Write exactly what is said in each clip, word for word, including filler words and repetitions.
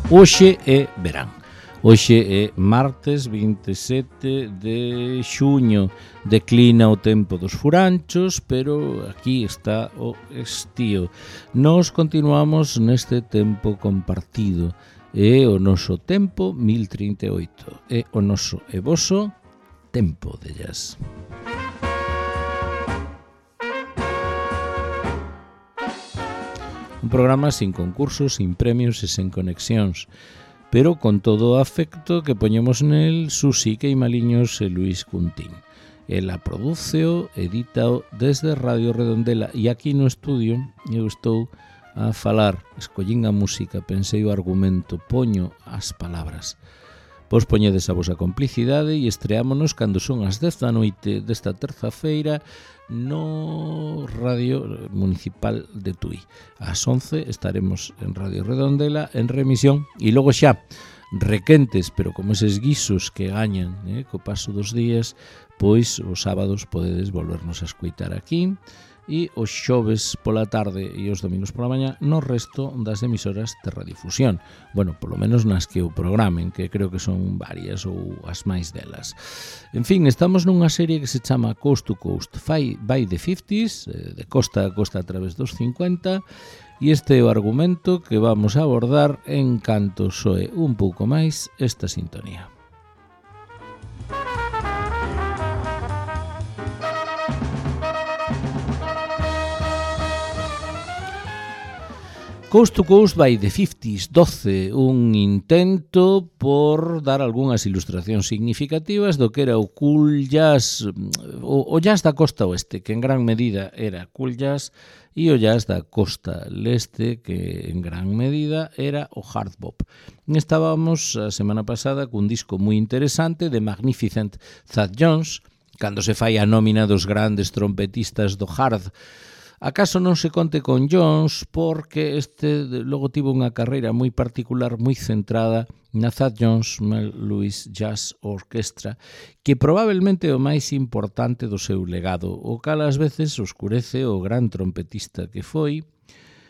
Hoxe é verán. Hoxe é martes vinte e sete de xuño. Declina o tempo dos furanchos, pero aquí está o estío. Nos continuamos neste tempo compartido. É o noso tempo mil trinta e oito. É o noso e voso tempo de jazz. Un programa sin concursos, sin premios e sen conexións, pero con todo o afecto que poñemos nel Susi Queimaliños e Luis Cuntín. Ela prodúceo, edítao desde Radio Redondela e aquí no estudio eu estou a falar, escollín a música, pensei o argumento, poño as palabras. Vos poñedes a vosa complicidade e estreámonos cando son as dez da noite desta terza-feira no Radio Municipal de Tui. Ás once estaremos en Radio Redondela en remisión e logo xa requentes, pero como eses guisos que gañan eh, co paso dos días, pois os sábados podedes volvernos a escoitar aquí e os xoves pola tarde e os domingos pola mañá no resto das emisoras de radiodifusión. Bueno, polo menos nas que o programen, que creo que son varias ou as máis delas. En fin, estamos nunha serie que se chama Coast to Coast by the fifties, de costa a costa a través dos cincuenta, e este é o argumento que vamos a abordar en canto soe un pouco máis esta sintonía. Coast to Coast by the fifties, doce, un intento por dar algunhas ilustracións significativas do que era o cool jazz, o, o jazz da costa oeste, que en gran medida era cool jazz, e o jazz da costa leste, que en gran medida era o hard bop. Estábamos a semana pasada cun disco moi interesante de Magnificent Thad Jones, cando se fai a nómina dos grandes trompetistas do hard. Acaso non se conte con Jones porque este logo tivo unha carreira moi particular, moi centrada na Thad Jones Mel Lewis Jazz Orchestra, que probablemente é o máis importante do seu legado, o cal ás veces oscurece o gran trompetista que foi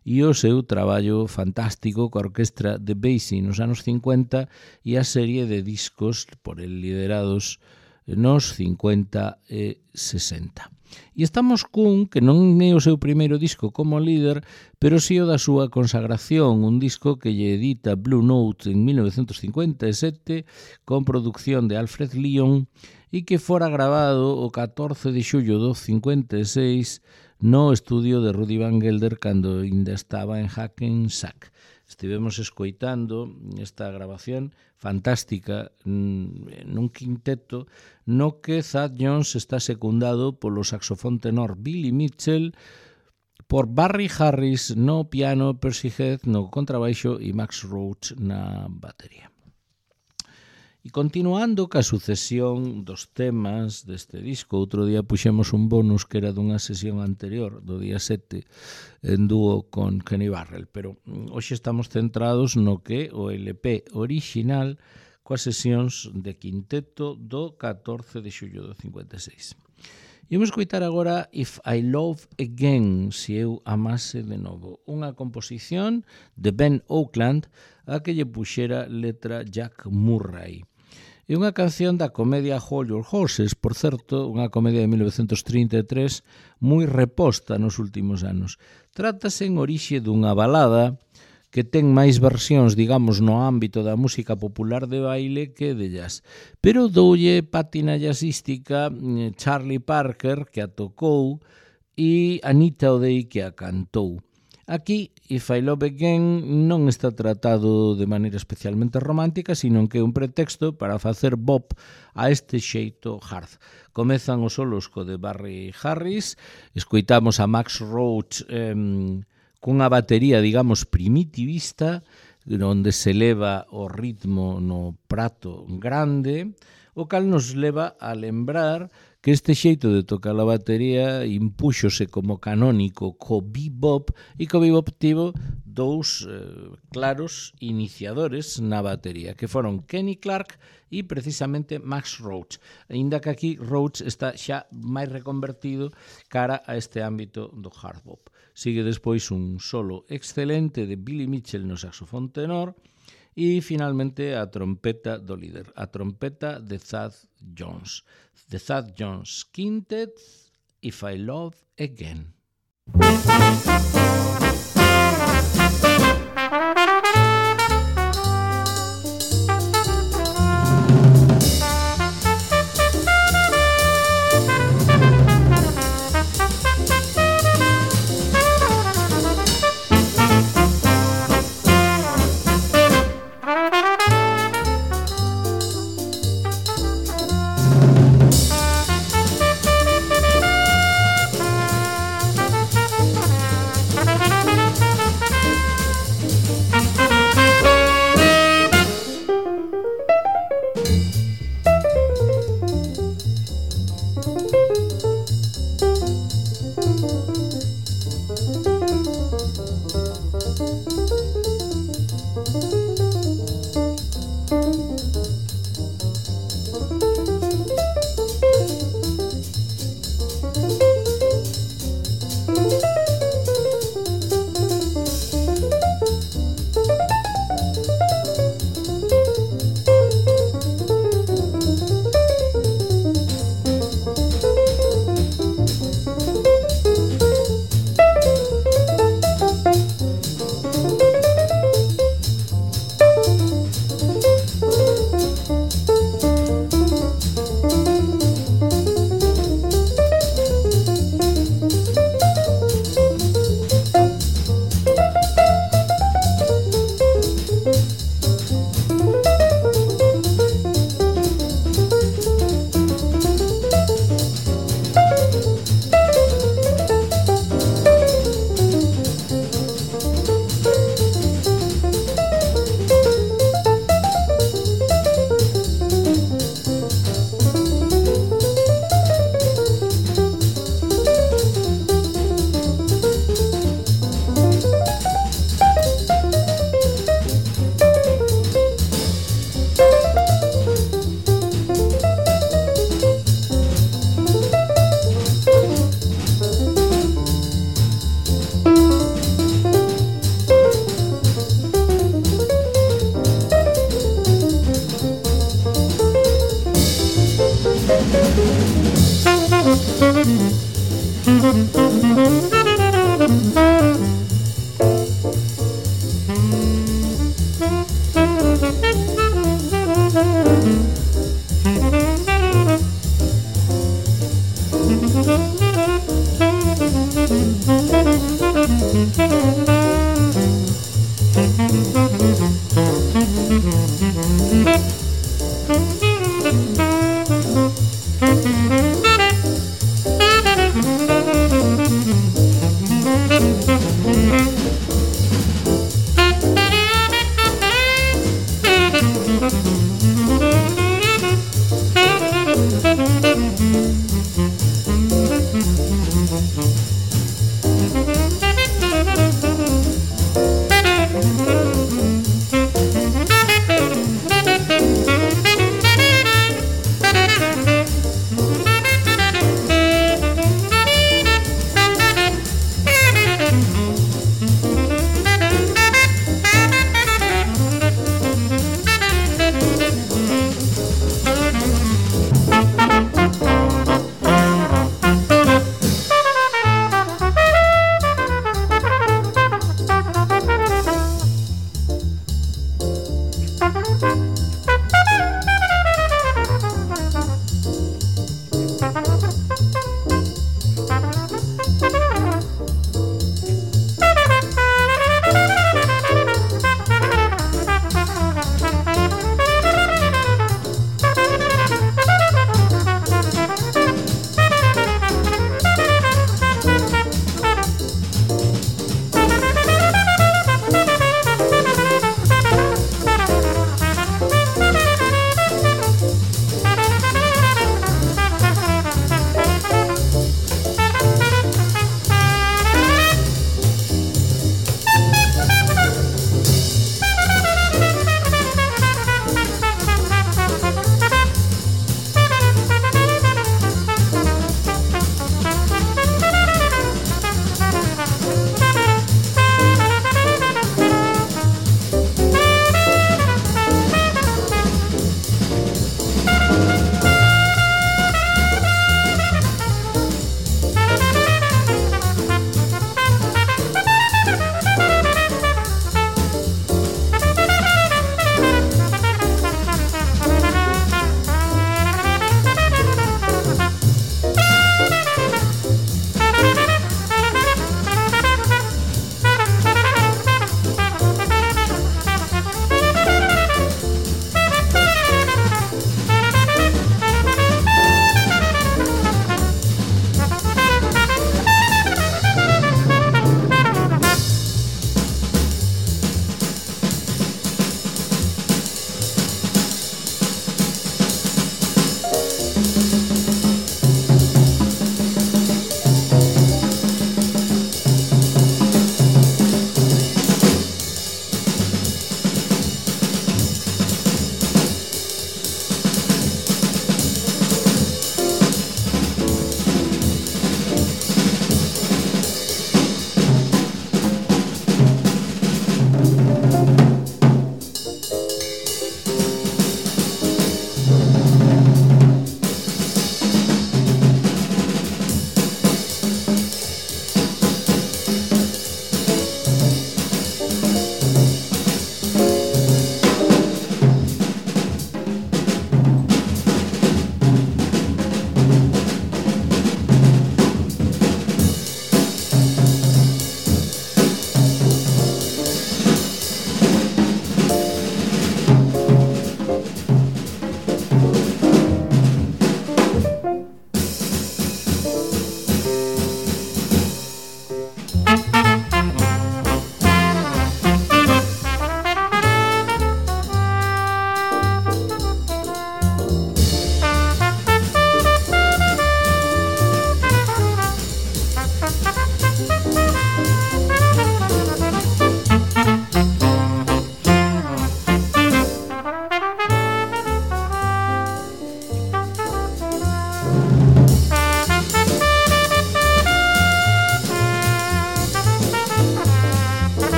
e o seu traballo fantástico coa orquestra de Basie nos anos cincuenta e a serie de discos por el liderados nos cincuenta e sesenta. E estamos cun que non é o seu primeiro disco como líder, pero si o da súa consagración, un disco que lle edita Blue Note en mil novecentos cincuenta e sete con producción de Alfred Lyon e que fora grabado o catorce de xullo do cincuenta e seis no estudio de Rudy Van Gelder cando ainda estaba en Hackensack. Estivemos escoitando esta grabación fantástica nun quinteto no que Thad Jones está secundado polo saxofón tenor Billy Mitchell, por Barry Harris no piano, Percy Heath no contrabaixo e Max Roach na batería. E continuando ca sucesión dos temas deste disco, outro día puxemos un bonus que era dunha sesión anterior, do día sete, en dúo con Kenny Barrell, pero hoxe estamos centrados no que o L P original coas sesións de quinteto do catorce de xullo do cincuenta e seis. E vamos escoitar agora If I Love Again, se eu amase de novo, unha composición de Ben Oakland a que lle puxera letra Jack Murray. É unha canción da comedia Hold Your Horses, por certo, unha comedia de mil novecentos trinta e tres moi reposta nos últimos anos. Trátase en orixe dunha balada que ten máis versións, digamos, no ámbito da música popular de baile que de jazz. Pero doulle pátina jazzística Charlie Parker, que a tocou, e Anita O'Day, que a cantou. Aquí, If I Love Again non está tratado de maneira especialmente romántica, sino que é un pretexto para facer bop a este xeito hard. Comezan os solos co de Barry Harris, escoitamos a Max Roach eh, cunha batería, digamos, primitivista, onde se eleva o ritmo no prato grande, o cal nos leva a lembrar que este xeito de tocar a batería impúxose como canónico co bebop e co bebop tivo dous eh, claros iniciadores na batería, que foron Kenny Clarke e precisamente Max Roach, aínda que aquí Roach está xa máis reconvertido cara a este ámbito do hard bop. Sigue despois un solo excelente de Billy Mitchell no saxofón tenor E finalmente a trompeta do líder, a trompeta de Thad Jones. The Thad Jones Quintet, If I Love Again.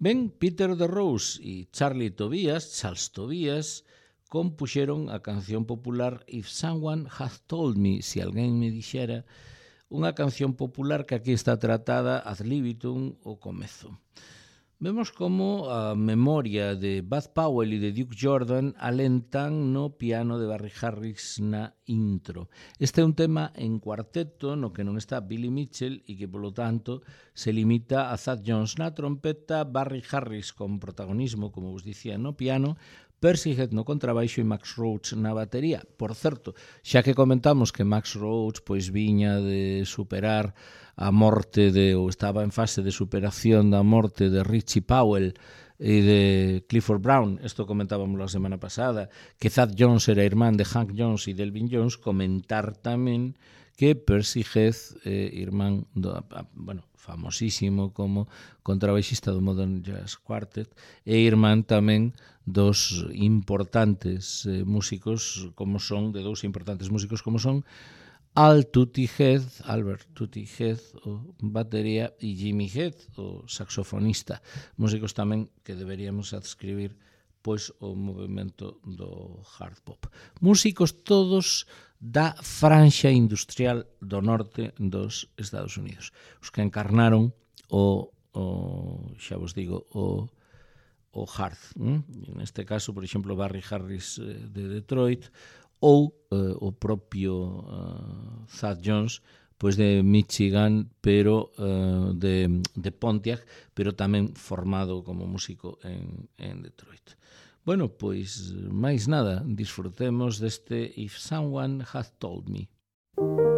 Ben, Peter DeRose e Charlie Tobias, Charles Tobias, compuxeron a canción popular If Someone Had Told Me, se alguén me dixera, unha canción popular que aquí está tratada ad libitum o comezo. Vemos como a memoria de Bud Powell e de Duke Jordan alentan no piano de Barry Harris na intro. Este é un tema en cuarteto no que non está Billy Mitchell e que, polo tanto, se limita a Thad Jones na trompeta, Barry Harris con protagonismo, como vos dicía, no piano, Percy Heath no contrabaixo e Max Roach na batería. Por certo, xa que comentamos que Max Roach pois viña de superar a morte de, ou estaba en fase de superación da morte de Richie Powell e de Clifford Brown, isto comentábamos a semana pasada, que Thad Jones era irmán de Hank Jones e Delvin Jones, comentar tamén que Percy Heath, eh, irmán do, bueno, famosísimo como contrabaixista do Modern Jazz Quartet, e irmán tamén dos importantes eh, músicos como son, de dous importantes músicos como son Al Tutti Heath, Albert Tutti Heath, o batería, e Jimmy Heath, o saxofonista, músicos tamén que deberíamos adscribir pois o movimento do hard pop. Músicos todos da franxa industrial do norte dos Estados Unidos, os que encarnaron o, o xa vos digo, o o hard. ¿eh? Neste caso, por exemplo, Barry Harris eh, de Detroit ou eh, o propio uh, Thad Jones, pois de Michigan, pero uh, de, de Pontiac, pero tamén formado como músico en, en Detroit. Bueno, pois máis nada, disfrutemos deste If Someone Had Told Me. Thank you.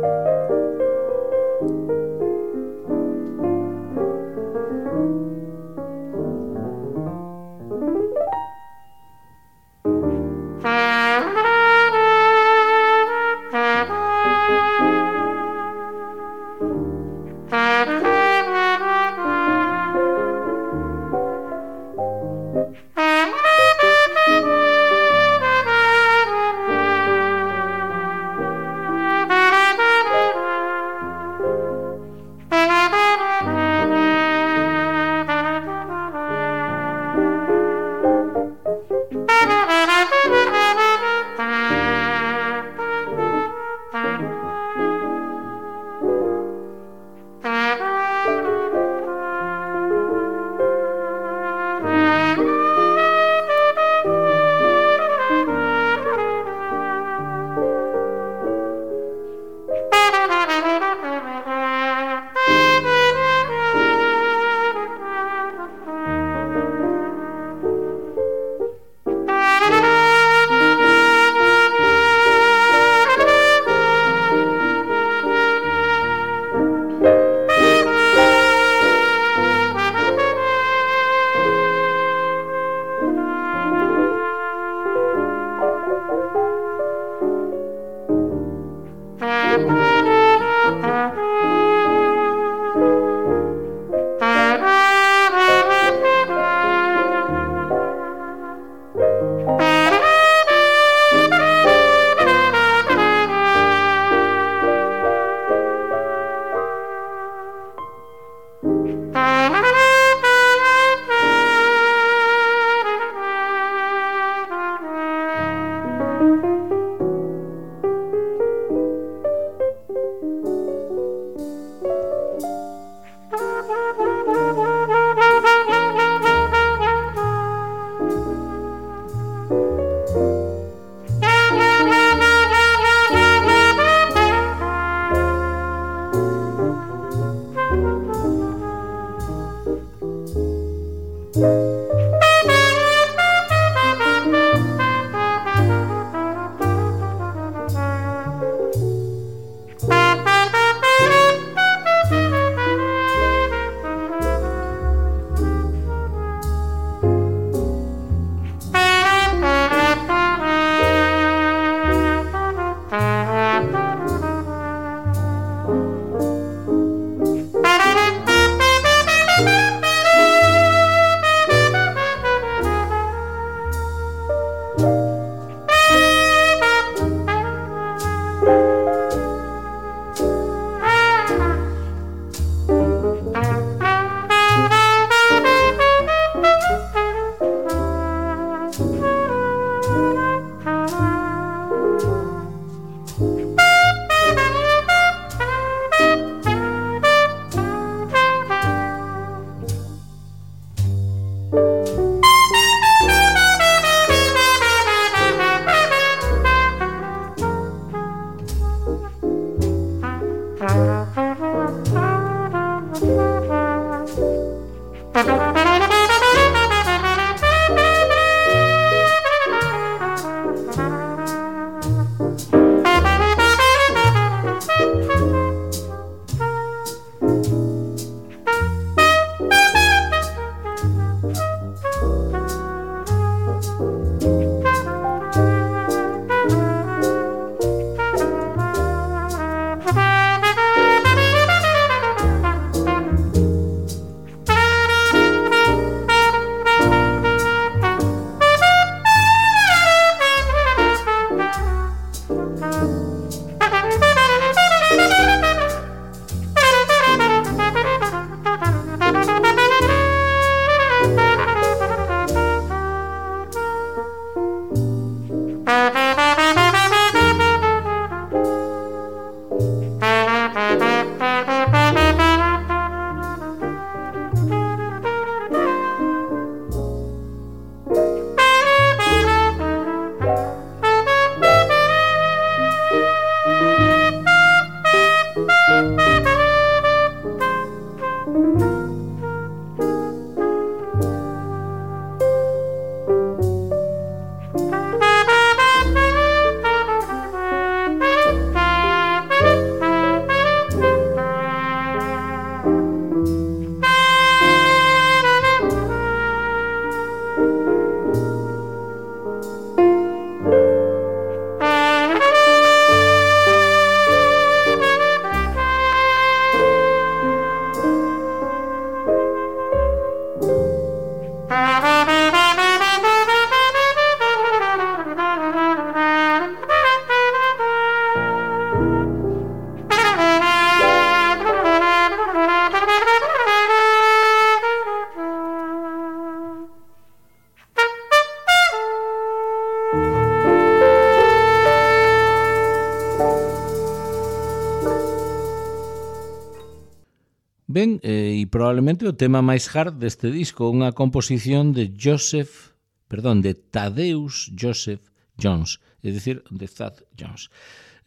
Ben, eh, e probablemente o tema máis hard deste disco, unha composición de Joseph, perdón, de Thaddeus Joseph Jones, é dicir, de Thad Jones.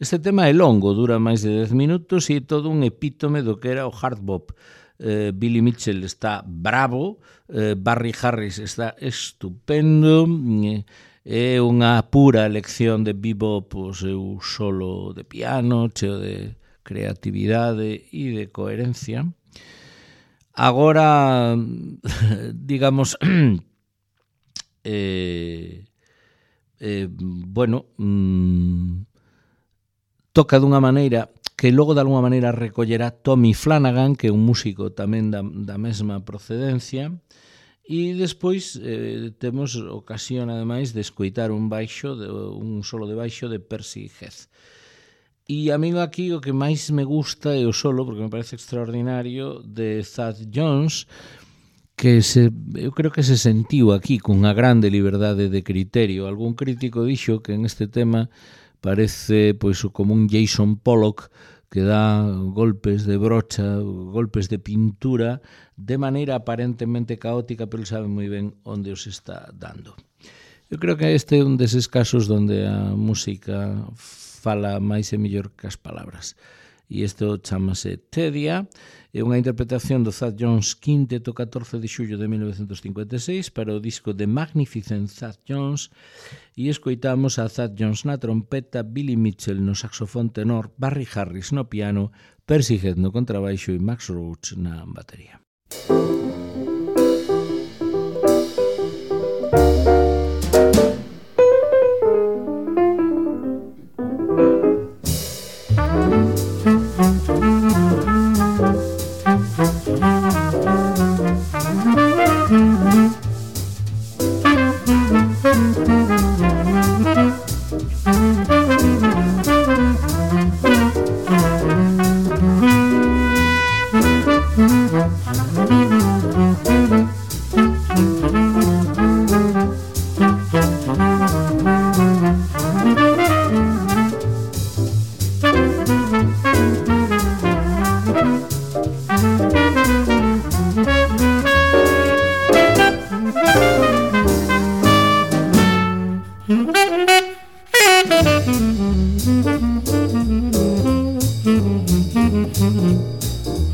Este tema é longo, dura máis de dez minutos e é todo un epítome do que era o hard bop. Eh, Billy Mitchell está bravo, eh, Barry Harris está estupendo, eh, é unha pura lección de bebop, o seu solo de piano, cheo de creatividade e de coherencia. Agora, digamos, eh, eh, bueno, mm, toca dunha maneira que logo de alguma maneira recollerá Tommy Flanagan, que é un músico tamén da, da mesma procedencia, e despois eh, temos ocasión, ademais, de escoitar un baixo, de, un solo de baixo de Percy Heath. E a mí aquí o que máis me gusta é o solo, porque me parece extraordinario, de Thad Jones, que se, eu creo que se sentiu aquí cunha grande liberdade de criterio. Algún crítico dixo que en este tema parece pois como un Jason Pollock que dá golpes de brocha, golpes de pintura, de maneira aparentemente caótica, pero ele sabe moi ben onde os está dando. Eu creo que este é un deses casos onde a música fala máis e mellor que as palabras. E isto chamase Tedia, é unha interpretación do Thad Jones quinteto catorce de xullo de mil novecentos cincuenta e seis para o disco The Magnificent Thad Jones, e escoitamos a Thad Jones na trompeta, Billy Mitchell no saxofón tenor, Barry Harris no piano, Percy Heath no contrabaixo e Max Roach na batería.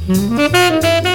Mm-hmm.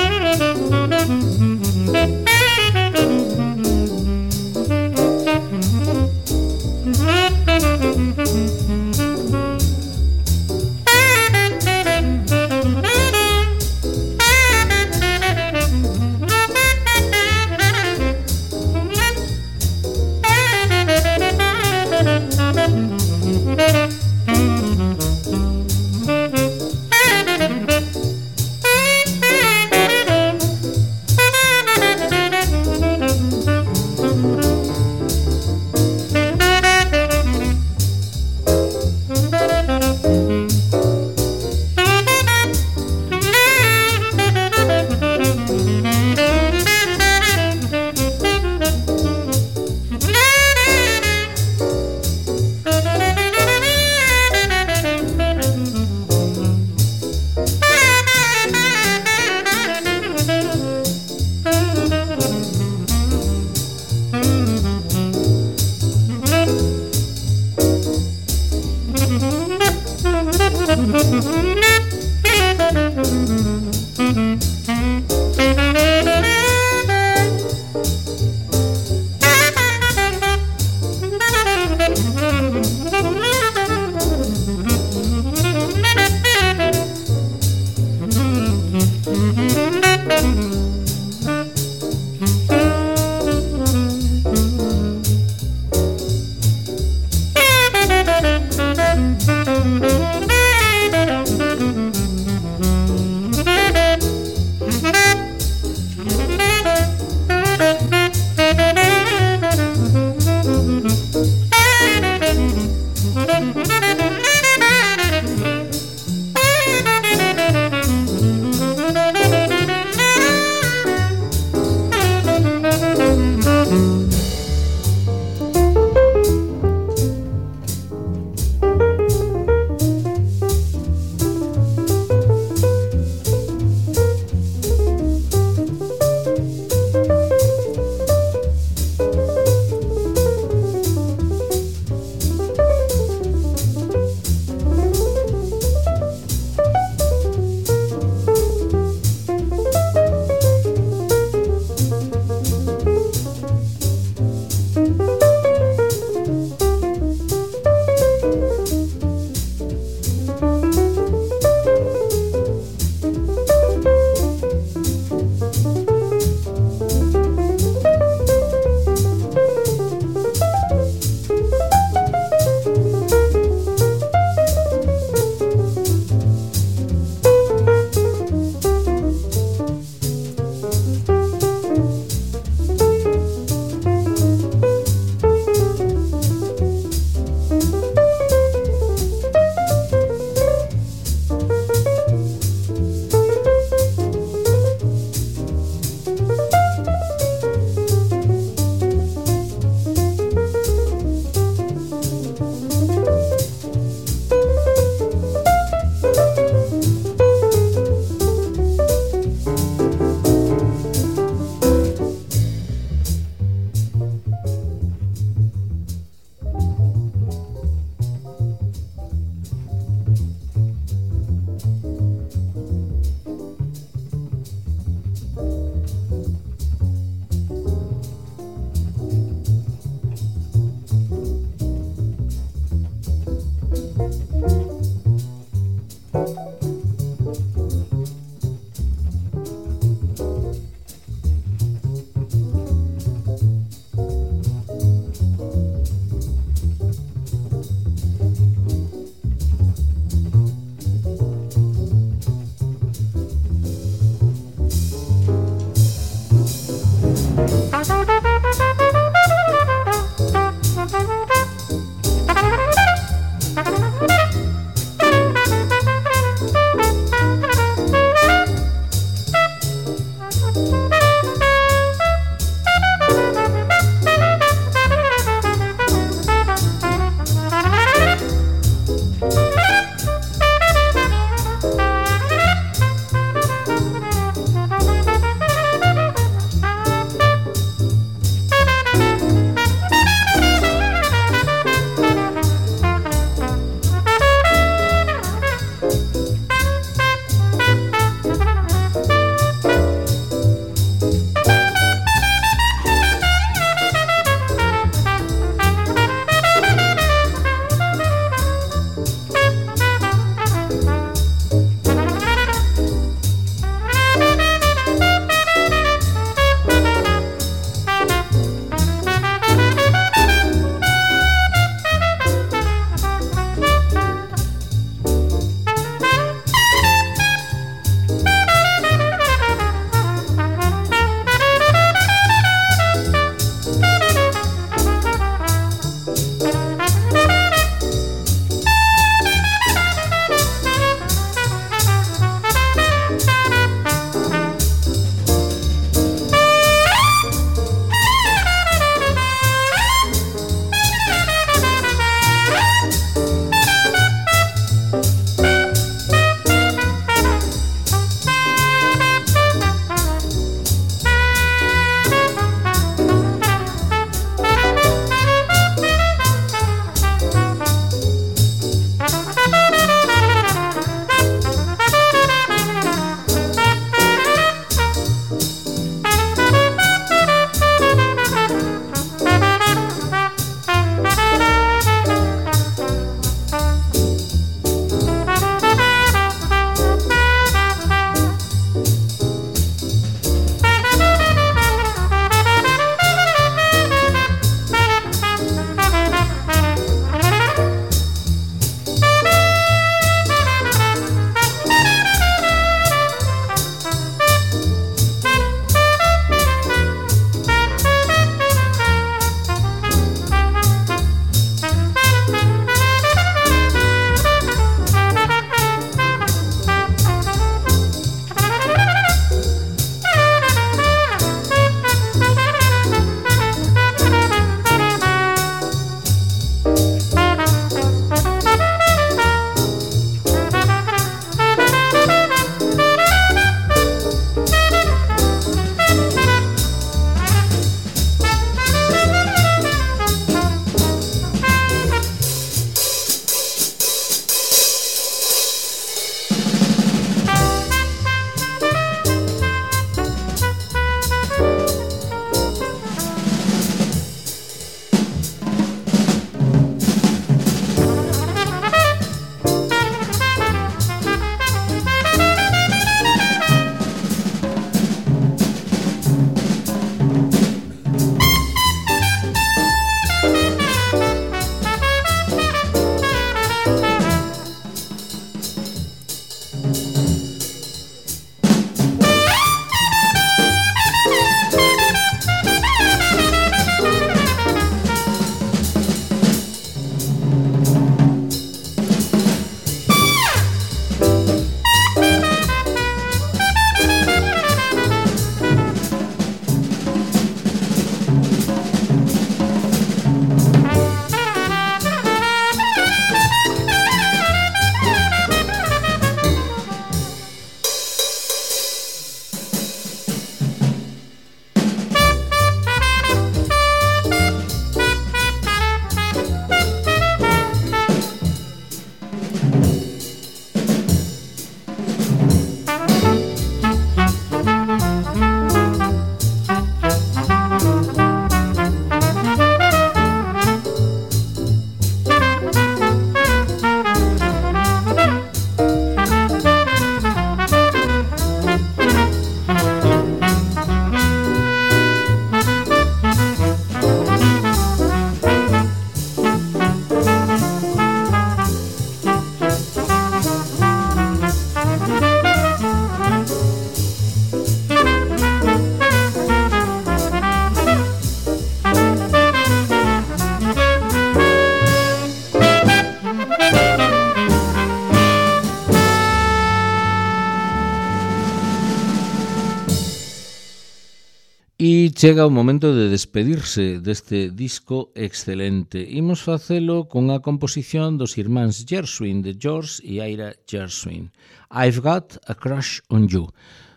E chega o momento de despedirse deste disco excelente. Imos facelo con a composición dos irmáns Gershwin, de George e Ira Gershwin. I've Got a Crush on You.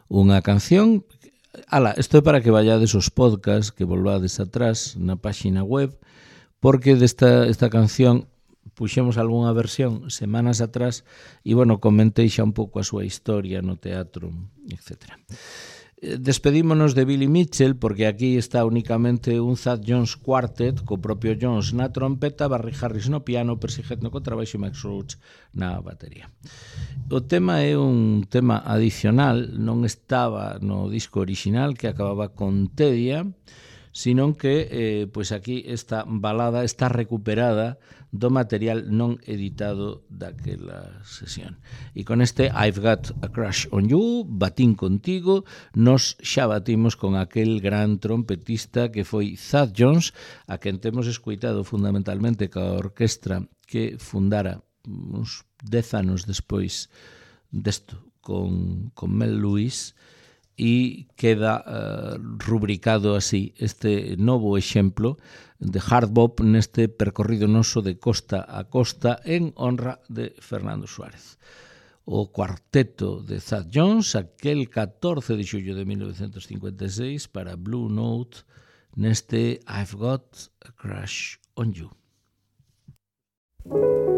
Unha canción... Ala, isto é para que vallades os podcasts, que volvades atrás na páxina web, porque desta esta canción puxemos algunha versión semanas atrás e, bueno, comentei xa un pouco a súa historia no teatro, etcétera. Despedímonos de Billy Mitchell porque aquí está únicamente un Thad Jones Quartet co propio Jones na trompeta, Barry Harris no piano, Percy Heath no contrabaixo e Max Roach na batería. O tema é un tema adicional, non estaba no disco original que acababa con Tedia, sino que eh, pois aquí esta balada está recuperada do material non editado daquela sesión. E con este I've Got a Crush on You, batín contigo, nos xa batimos con aquel gran trompetista que foi Thad Jones, a quen temos escuitado fundamentalmente ca orquestra que fundara uns dez anos despois desto con, con Mel Lewis, e queda uh, rubricado así este novo exemplo de hard bop neste percorrido noso de costa a costa en honra de Fernando Suárez. O cuarteto de Thad Jones, aquel catorce de xullo de mil novecentos cincuenta e seis para Blue Note neste I've Got a Crush on You. Thank you.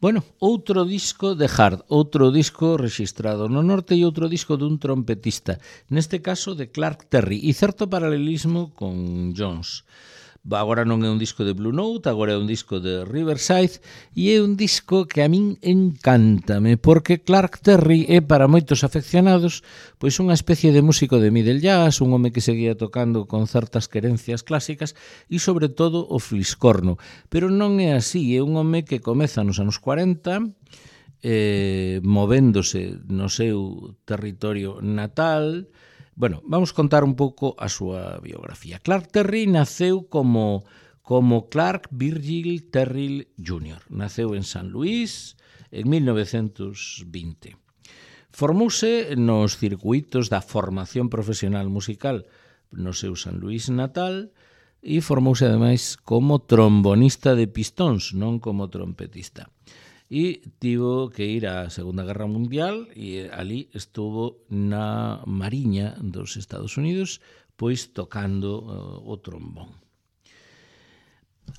Bueno, outro disco de Hard, outro disco rexistrado no norte e outro disco dun trompetista, neste caso de Clark Terry, e certo paralelismo con Jones. Agora non é un disco de Blue Note, agora é un disco de Riverside, e é un disco que a min encántame, porque Clark Terry é para moitos afeccionados pois unha especie de músico de middle jazz, un home que seguía tocando con certas querencias clásicas e sobre todo o fliscorno, pero non é así, é un home que comeza nos anos cuarenta, eh, movéndose no seu territorio natal. Bueno, vamos contar un pouco a súa biografía. Clark Terry naceu como, como Clark Virgil Terry júnior Naceu en San Luís en mil novecentos vinte. Formouse nos circuitos da formación profesional musical no seu San Luís natal e formouse ademais como trombonista de pistóns, non como trompetista. E tivo que ir á Segunda Guerra Mundial e ali estuvo na Mariña dos Estados Unidos pois tocando uh, o trombón.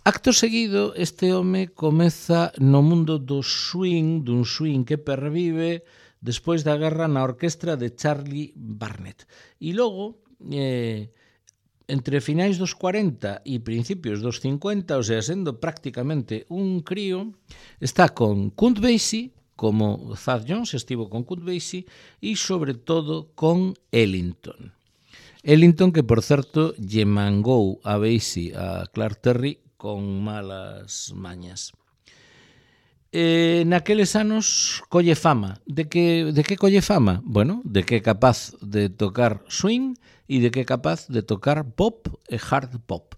Acto seguido, este home comeza no mundo do swing, dun swing que pervive despois da guerra na orquestra de Charlie Barnet. E logo, eh, entre finais dos cuarenta e principios dos cincuenta, o sea, sendo prácticamente un crío, está con Count Basie, como Thad Jones estivo con Count Basie, e sobre todo con Ellington. Ellington, que por certo lle mangou a Basie a Clark Terry con malas mañas. Eh, naqueles anos colle fama. De que, de que colle fama? Bueno, de que é capaz de tocar swing e de que é capaz de tocar pop e hard pop.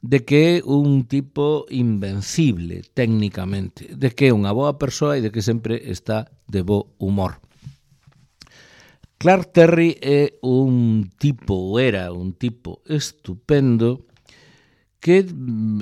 De que é un tipo invencible técnicamente, de que é unha boa persoa e de que sempre está de bo humor. Clark Terry é un tipo, era un tipo estupendo, que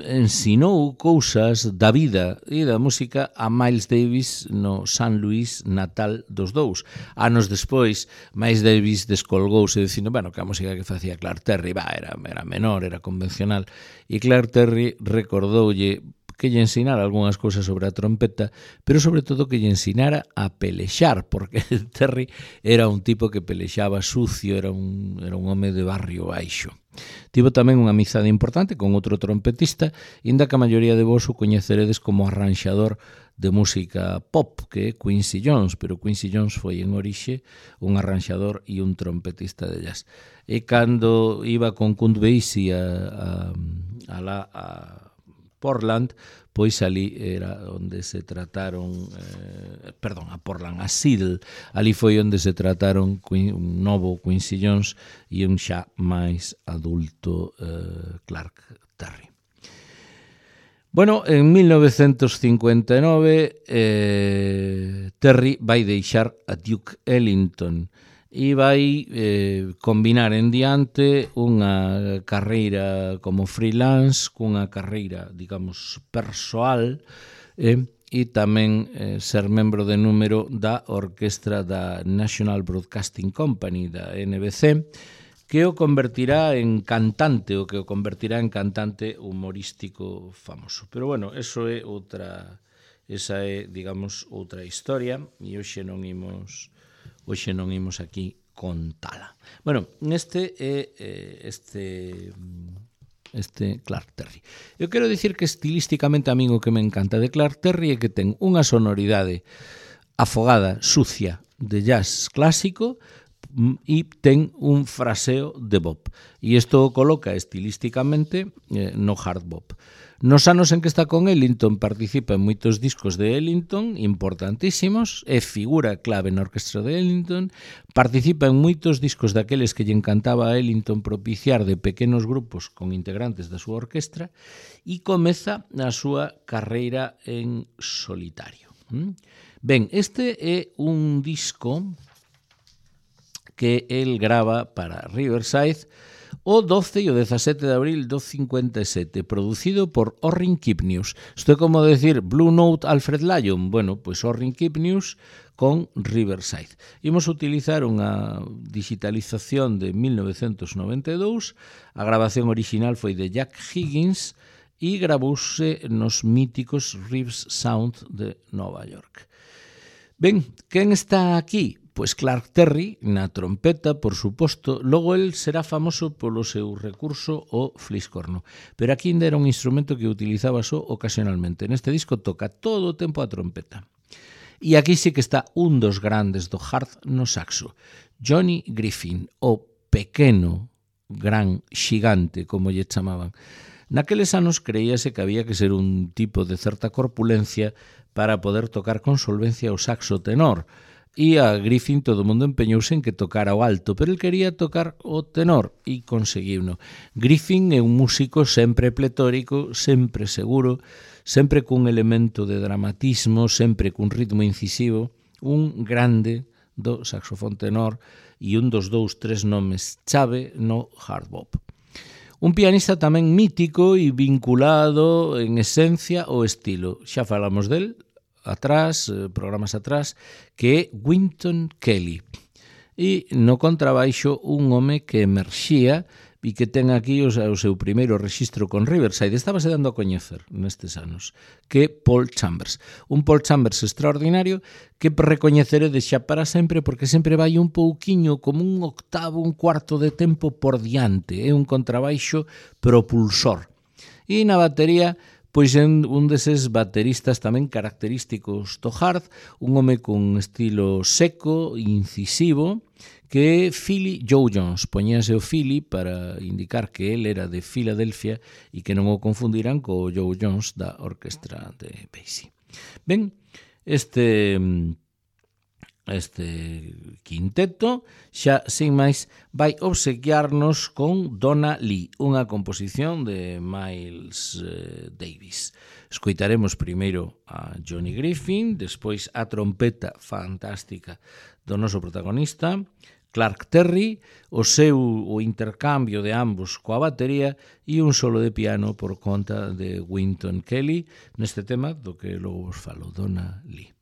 ensinou cousas da vida e da música a Miles Davis no San Luís natal dos dous. Anos despois, Miles Davis descolgouse dicindo, bueno, que a música que facía Clark Terry va, era, era menor, era convencional, e Clark Terry recordoulle que lle ensinara algunhas cousas sobre a trompeta, pero sobre todo que lle ensinara a pelexar, porque Terry era un tipo que pelexaba sucio, era un, era un home de barrio baixo. Tivo tamén unha amizade importante con outro trompetista, inda que a maioría de vos o coñeceredes como arranxador de música pop, que é Quincy Jones, pero Quincy Jones foi en orixe un arranxador e un trompetista de jazz. E cando iba con Count Basie a, a, a, la, a Portland, pois ali era onde se trataron, eh, perdón, a Portland, a Seattle, ali foi onde se trataron un novo Quincy Jones e un xa máis adulto eh, Clark Terry. Bueno, en mil novecentos cincuenta e nove eh, Terry vai deixar a Duke Ellington e vai eh, combinar en diante unha carreira como freelance cunha carreira, digamos, persoal eh, e tamén eh, ser membro de número da orquestra da National Broadcasting Company, da N B C, que o convertirá en cantante, o que o convertirá en cantante humorístico famoso. Pero bueno, eso é outra, esa é, digamos, outra historia, e hoxe non imos hoxe non imos aquí contala. Bueno, neste é eh, este este Clark Terry. Eu quero dicir que estilísticamente a min o que me encanta de Clark Terry é que ten unha sonoridade afogada, sucia, de jazz clásico, e ten un fraseo de bop. E isto o coloca estilísticamente eh, no hard bop. Nos anos en que está con Ellington participa en moitos discos de Ellington importantísimos, é figura clave na orquestra de Ellington, participa en moitos discos daqueles que lle encantaba a Ellington propiciar de pequenos grupos con integrantes da súa orquestra e comeza a súa carreira en solitario. Ben, este é un disco que el grava para Riverside o doce e o dezasete de abril do cincuenta e sete, producido por Orrin Kipnius. Isto é como decir Blue Note Alfred Lyon. Bueno, pois Orrin Kipnius con Riverside. Imos utilizar unha digitalización de mil novecentos noventa e dous. A grabación original foi de Jack Higgins e gravouse nos míticos Reeves Sound de Nova York. Ben, quen está aquí? Pois Clark Terry, na trompeta, por suposto. Logo el será famoso polo seu recurso o fliscorno. Pero aquí ainda era un instrumento que utilizaba só ocasionalmente. Neste disco toca todo o tempo a trompeta. E aquí sí que está un dos grandes do hard no saxo. Johnny Griffin, o pequeno, gran, xigante, como lle chamaban. Naqueles anos creíase que había que ser un tipo de certa corpulencia para poder tocar con solvencia o saxo tenor. E a Griffin todo o mundo empeñouse en que tocara o alto, pero el quería tocar o tenor e conseguiuno. Griffin é un músico sempre pletórico, sempre seguro, sempre cun elemento de dramatismo, sempre cun ritmo incisivo, un grande do saxofón tenor e un dos dous, tres nomes chave no hard bop. Un pianista tamén mítico e vinculado en esencia ao estilo. Xa falamos del atrás, programas atrás, que é Wynton Kelly. E no contrabaixo un home que emerxía e que ten aquí o seu primeiro rexistro con Riverside. Estábase dando a coñecer nestes anos, que é Paul Chambers. Un Paul Chambers extraordinario que recoñeceredes xa para sempre porque sempre vai un pouquiño como un octavo, un cuarto de tempo por diante. É un contrabaixo propulsor. E na batería, pois é un deses bateristas tamén característicos do hard, un home con estilo seco, incisivo, que é Philly Joe Jones. Poñíase o Philly para indicar que el era de Filadelfia e que non o confundiran co Joe Jones da orquestra de Basie. Ben, este... este quinteto xa, sin máis, vai obsequiarnos con Donna Lee, unha composición de Miles eh, Davis. Escoitaremos primeiro a Johnny Griffin, despois a trompeta fantástica do noso protagonista, Clark Terry, o seu o intercambio de ambos coa batería e un solo de piano por conta de Wynton Kelly neste tema do que logo vos falo, Donna Lee.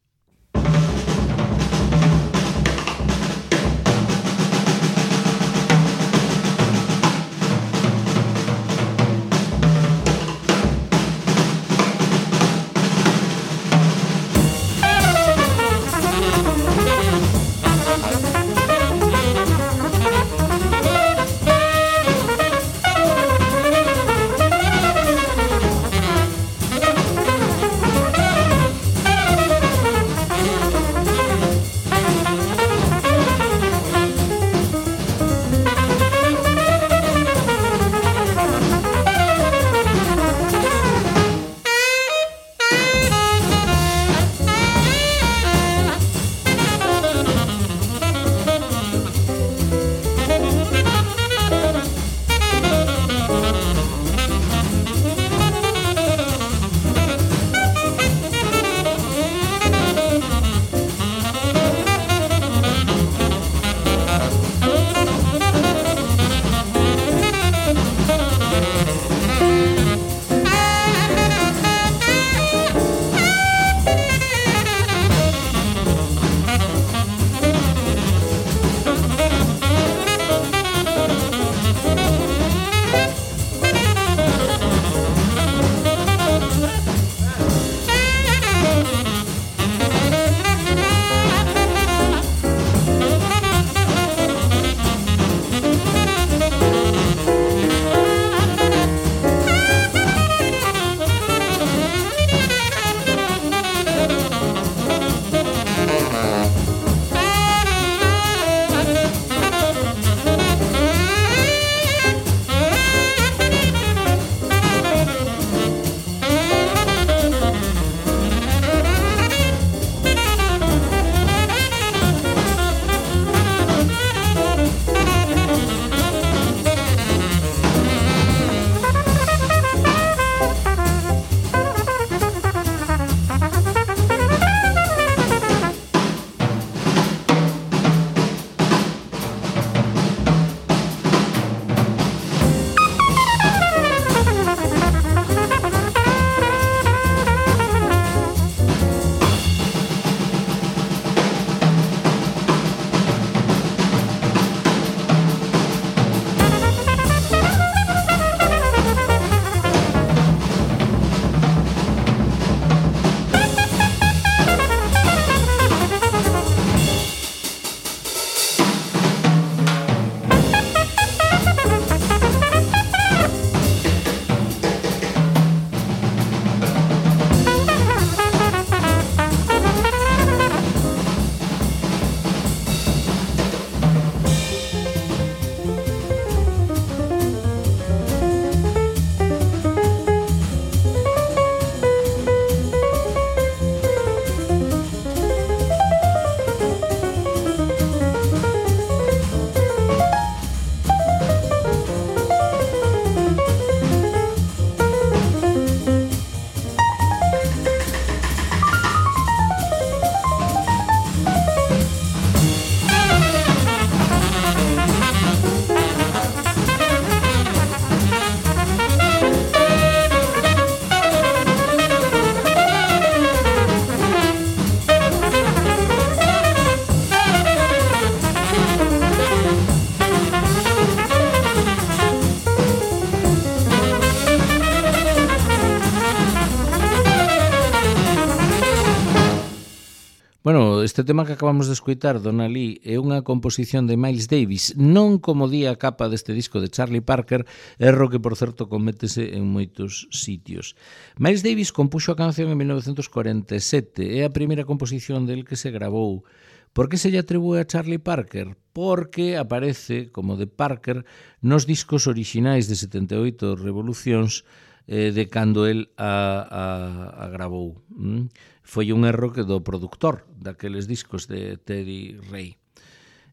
Thank you. Bueno, este tema que acabamos de escoitar, Donna Lee, é unha composición de Miles Davis, non como di a capa deste disco de Charlie Parker, erro que, por certo, cométese en moitos sitios. Miles Davis compuxo a canción en mil novecentos cuarenta e sete, é a primeira composición del que se gravou. Por que se lle atribúe a Charlie Parker? Porque aparece como de Parker nos discos orixinais de setenta e oito Revolucións eh, de cando el a, a, a gravou. Mm? Foi un erro que do productor daqueles discos de Teddy Ray.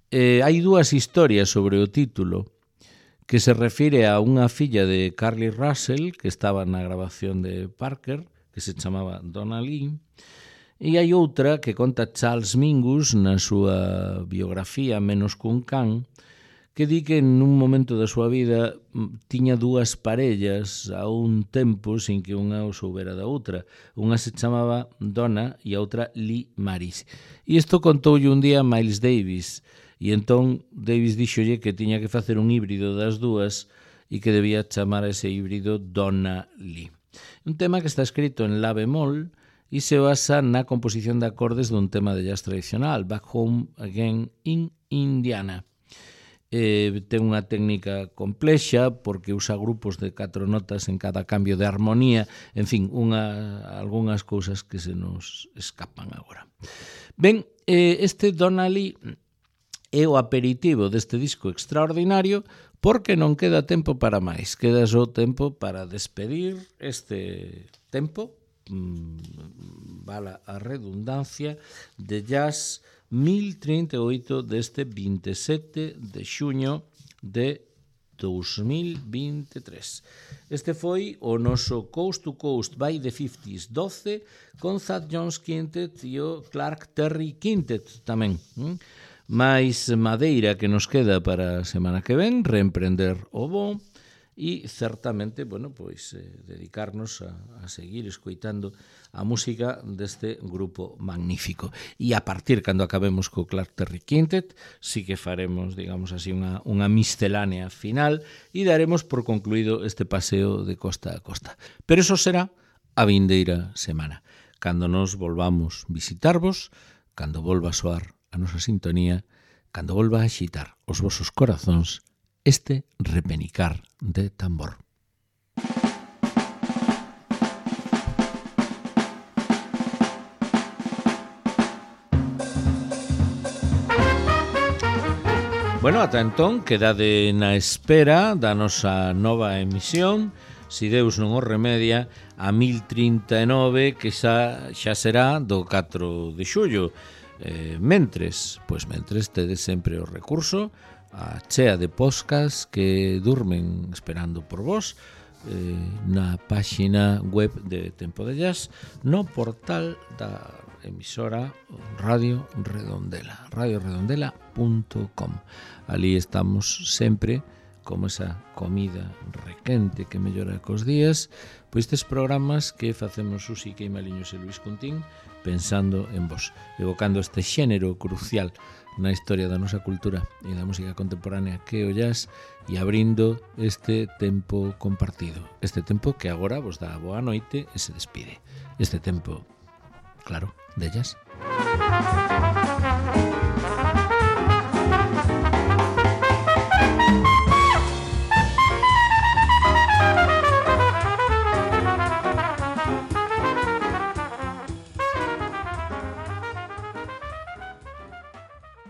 Eh, hai dúas historias sobre o título que se refire a unha filla de Carly Russell que estaba na grabación de Parker, que se chamaba Donna Lee, e hai outra que conta Charles Mingus na súa biografía Menos cun can, que di que en un momento da súa vida tiña dúas parellas a un tempo sin que unha o soubera da outra. Unha se chamaba Donna e a outra Lee Maris. E isto contoulle un día Miles Davis, e entón Davis díxolle que tiña que facer un híbrido das dúas e que debía chamar a ese híbrido Donna Lee. Un tema que está escrito en la bemol e se basa na composición de acordes dun tema de jazz tradicional, Back Home Again in Indiana. Eh, ten unha técnica complexa porque usa grupos de catro notas en cada cambio de armonía, en fin, unha, algunhas cousas que se nos escapan agora. Ben, eh, este Donna Lee é o aperitivo deste disco extraordinario porque non queda tempo para máis, queda só tempo para despedir este tempo, mmm, vala a redundancia, de jazz mil trinta e oito deste vinte e sete de xuño de dos mil vinte e tres. Este foi o noso Coast to Coast by the fifties doce con Thad Jones Quintet e o Clark Terry Quintet tamén. Mais madeira que nos queda para a semana que ven, reemprender o bo e certamente, bueno, pois eh, dedicarnos a, a seguir escoitando a música deste grupo magnífico. E a partir, cando acabemos co Clark Terry Quintet, sí que faremos, digamos así, unha, unha miscelánea final e daremos por concluído este paseo de costa a costa. Pero eso será a vindeira semana, cando nos volvamos visitarvos, cando volva a soar a nosa sintonía, cando volva a axitar os vosos corazóns este repenicar de tambor. Bueno, ata entón, quedade na espera da nosa nova emisión, si Deus non o remedia, a mil trinta e nove, que xa, xa será do catro de xullo. Eh, mentres, pois mentres tedes sempre o recurso a chea de podcast que durmen esperando por vos eh, na páxina web de Tempo de Jazz, no portal da emisora Radio Redondela, radio redondela punto com. Ali estamos sempre como esa comida requente que mellora cos días, pois estes programas que facemos Susi Queimaliños e Luis Cuntín pensando en vos, evocando este xénero crucial na historia da nosa cultura e da música contemporánea que o jazz e abrindo este tempo compartido, este tempo que agora vos dá a boa noite e se despide, este tempo, claro, de jazz.